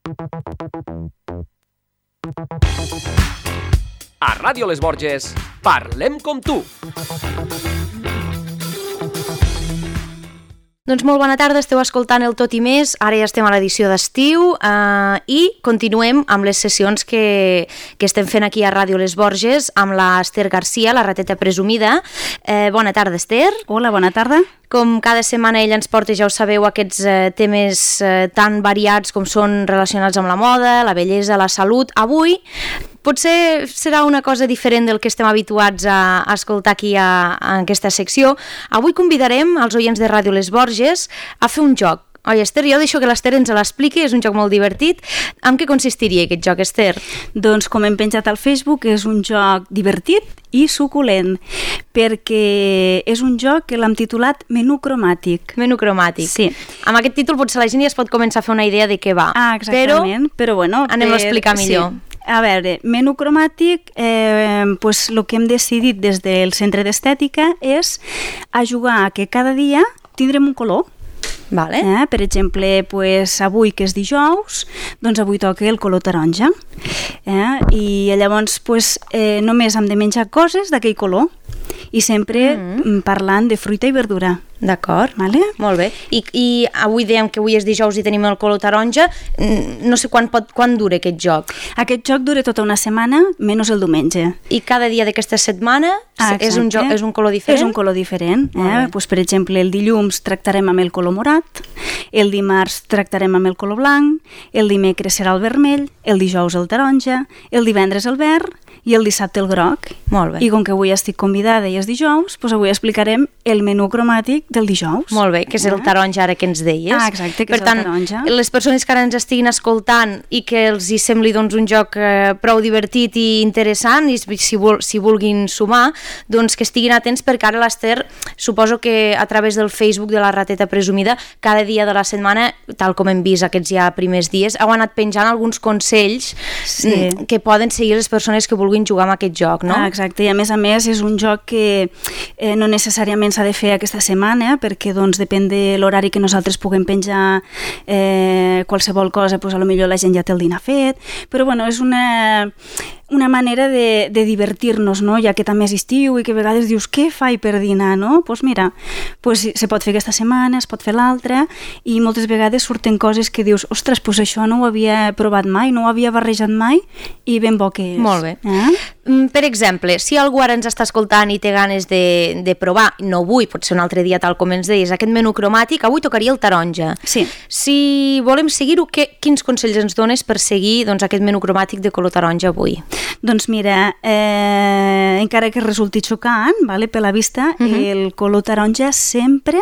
A Ràdio Les Borges, parlem com tu. Doncs molt bona tarda, esteu escoltant el Tot i Més, ara ja estem a l'edició d'estiu i continuem amb les sessions que estem fent aquí a Ràdio Les Borges amb l'Ester Garcia, la rateta presumida. Bona tarda, Ester. Hola, bona tarda. Com cada setmana ella ens porta, ja ho sabeu, aquests temes tan variats com són relacionats amb la moda, la bellesa, la salut. Avui potser serà una cosa diferent del que estem habituats a escoltar aquí en aquesta secció. Avui convidarem els oients de Ràdio Les Borges a fer un joc. Oi, Ester, jo deixo que l'Ester ens l'expliqui, és un joc molt divertit. En què consistiria aquest joc, Ester? Doncs com hem penjat al Facebook, és un joc divertit i suculent, perquè és un joc que l'hem titulat Menú cromàtic. Menú cromàtic. Sí. Amb aquest títol potser la gent ja es pot començar a fer una idea de què va. Ah, exactament. Però bueno, anem a explicar millor. Sí. A veure, menú cromàtic, pues, el que hem decidit des del Centre d'Estètica és a jugar a que cada dia tindrem un color. Vale. Per exemple, pues, avui que és dijous, doncs avui toca el color taronja. I llavors pues, només hem de menjar coses d'aquell color i sempre parlant de fruita i verdura. D'acord, vale? Molt bé. I avui dèiem que avui és dijous i tenim el color taronja. No sé quan dura aquest joc. Aquest joc dura tota una setmana, menys el diumenge. I cada dia d'aquesta setmana és un color diferent? És un color diferent. Pues, per exemple, el dilluns tractarem amb el color morat, el dimarts tractarem amb el color blanc, el dimecres serà el vermell, el dijous el taronja, el divendres el verd i el dissabte el groc. Molt bé. I com que avui estic convidada i és dijous, doncs avui explicarem el menú cromàtic del dijous. Molt bé, que és el taronja ara que ens deies. Ah, exacte, que és el taronja. Per tant, les persones que ara ens estiguin escoltant i que els hi sembli doncs, un joc prou divertit i interessant i si vulguin sumar, doncs que estiguin atents perquè ara l'Ester, suposo que a través del Facebook de la rateta presumida, cada dia de la setmana, tal com hem vist aquests ja primers dies, heu anat penjant alguns consells que poden seguir les persones que vulguin jugar amb aquest joc, no? Ah, exacte, i a més és un joc que no necessàriament s'ha de fer aquesta setmana, perquè doncs depèn de l'horari que nosaltres puguem penjar qualsevol cosa, doncs potser la gent ja té el dinar fet, però bueno, és una manera de divertir-nos, no? Ja que també és estiu i que a vegades dius què faig per dinar, no? Doncs mira, se pot fer aquesta setmana, es pot fer l'altra i moltes vegades surten coses que dius ostres, doncs això no ho havia provat mai, no ho havia barrejat mai i ben bo que és. Molt bé. Per exemple, si algú ara ens està escoltant i té ganes de provar, no avui, potser un altre dia tal com ens deies, aquest menú cromàtic, avui tocaria el taronja. Sí. Si volem seguir-ho, quins consells ens dones per seguir aquest menú cromàtic de color taronja avui? Doncs mira, encara que resulti xocant, per la vista, el color taronja sempre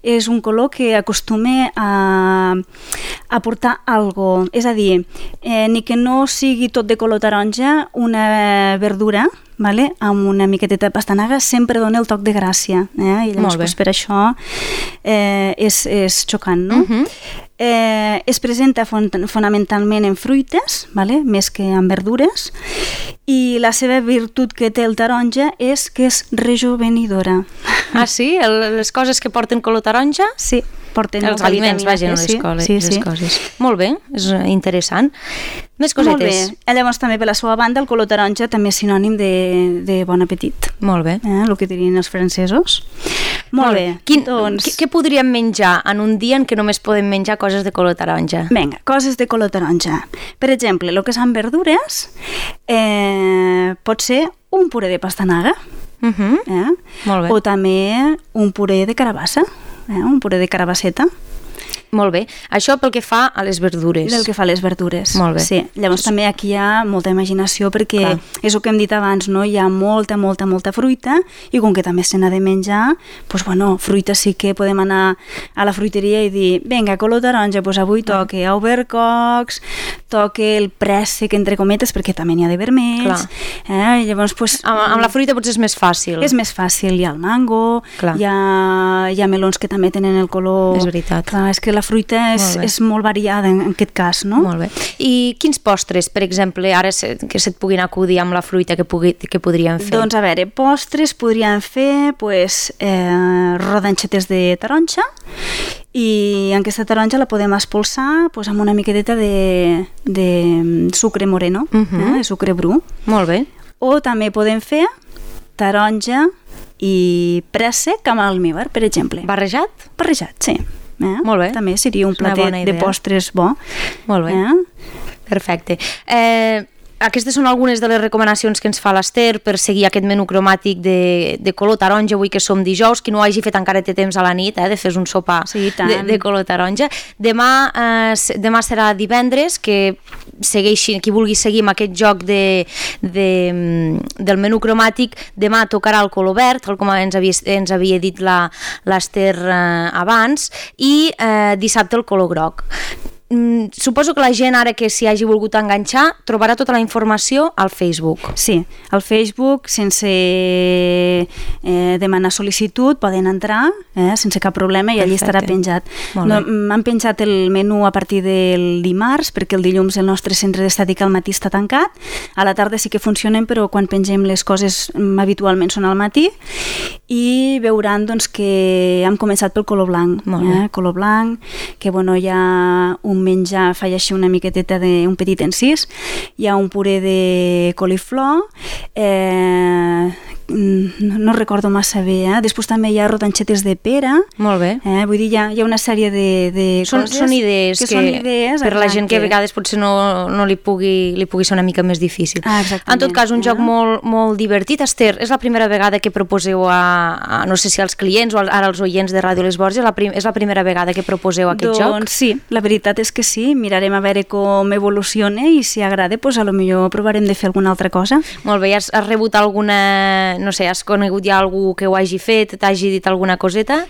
és un color que acostuma a portar algo. És a dir, ni que no sigui tot de color taronja, una verdura amb una miqueteta de pastanaga sempre dona el toc de gràcia, i llavors per això és xocant, no? Es presenta fonamentalment en fruites, més que en verdures, i la seva virtut que té el taronja és que és rejuvenidora. Ah, sí? Les coses que porten color taronja? Sí. Els aliments, vagin a les coses. Molt bé, és interessant. Més cosetes. Molt bé. Llavors també per la seva banda el color taronja també és sinònim de bon apetit. Molt bé. El que dirien els francesos. Molt bé. Què podríem menjar en un dia en què només podem menjar coses de color taronja? Vinga, coses de color taronja. Per exemple, el que són verdures pot ser un puré de pastanaga, molt bé. O també un puré de carabassa, un puré de carabasseta. Molt bé. Això pel que fa a les verdures. Del que fa a les verdures. Molt bé. Sí. Llavors també aquí hi ha molta imaginació perquè és el que hem dit abans, no? Hi ha molta fruita i com que també se n'ha de menjar, doncs bueno, fruita sí que podem anar a la fruiteria i dir, vinga, color taronja, doncs avui toque albercocs, toque el préssec entre cometes perquè també n'hi ha de vermells. I llavors, doncs... Amb la fruita potser és més fàcil. És més fàcil. Hi ha el mango, hi ha melons que també tenen el color... És veritat. Clar, és que la fruita és molt variada en aquest cas, no? Molt bé. I quins postres, per exemple, ara que se't puguin acudir amb la fruita que podríem fer? Doncs a veure, postres podríem fer rodanxetes de taronja i aquesta taronja la podem espolsar doncs, amb una miqueteta de sucre moreno, de sucre bru. Molt bé. O també podem fer taronja i préssec amb almívar, per exemple. Barrejat? Barrejat, sí. Molt bé. També seria un platet de postres bo. Molt bé. Perfecte. Aquestes són algunes de les recomanacions que ens fa l'Ester per seguir aquest menú cromàtic de color taronja, avui que som dijous. Qui no ho hagi fet encara té temps a la nit de fer un sopar de color taronja. Demà serà divendres, que segueixin, qui vulgui seguir amb aquest joc del menú cromàtic. Demà tocarà el color verd, com ens havia dit l'Ester abans, i dissabte el color groc. Suposo que la gent ara que s'hi hagi volgut enganxar trobarà tota la informació al Facebook. Sí, al Facebook sense demanar sol·licitud poden entrar sense cap problema i allí estarà penjat. Han penjat el menú a partir del dimarts perquè el dilluns el nostre centre d'estètica al matí està tancat, a la tarda sí que funcionen però quan pengem les coses habitualment són al matí i veuran doncs, que hem començat pel color blanc. Color blanc, que bueno, hi ha un menjar, faig així una miqueteta d'un petit encís, hi ha un puré de coliflor, no recordo massa bé, després també hi ha rodanxetes de pera. Molt bé. Vull dir, hi ha una sèrie de coses són idees que són idees per la gent que a vegades potser no li pugui ser una mica més difícil. En tot cas, un joc molt, molt divertit. Ester, és la primera vegada que proposeu no sé si als clients o ara als oients de Ràdio Les Borges, és la primera vegada que proposeu aquest joc? Doncs sí, la veritat és que sí, mirarem a veure com evoluciona i si agrada, doncs a lo millor provarem de fer alguna altra cosa. Molt bé, has rebut alguna, no sé, has conegut ja algú que ho hagi fet, t'hagi dit alguna coseta?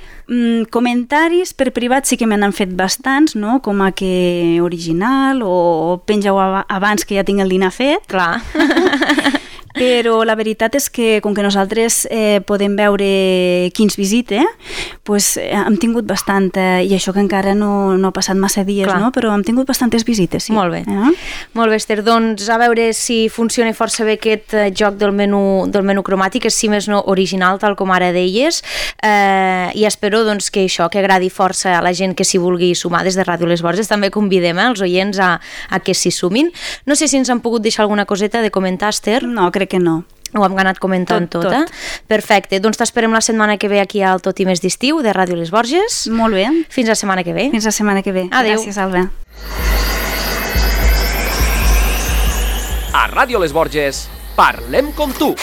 Comentaris per privat sí que me n'han fet bastants, no? Com a que original o penja-ho abans que ja tinc el dinar fet. Clar. Però la veritat és que com que nosaltres podem veure qui ens visita, doncs hem tingut bastanta, i això que encara no ha passat massa dies, no? Però hem tingut bastantes visites, sí. Molt bé. Molt bé, Ester, doncs a veure si funciona força bé aquest joc del menú cromàtic, és si més no original, tal com ara deies, i espero doncs, que això, que agradi força a la gent que s'hi vulgui sumar des de Ràdio Les Borges. També convidem els oients a que s'hi sumin. No sé si ens han pogut deixar alguna coseta de comentar, Ester. No, crec que no. Ho hem anat comentant tot. Perfecte, doncs t'esperem la setmana que ve aquí al Tot i Més d'Estiu de Ràdio Les Borges. Molt bé. Fins la setmana que ve. Fins la setmana que ve. Adéu. Gràcies, Alba. A Ràdio Les Borges, parlem com tu.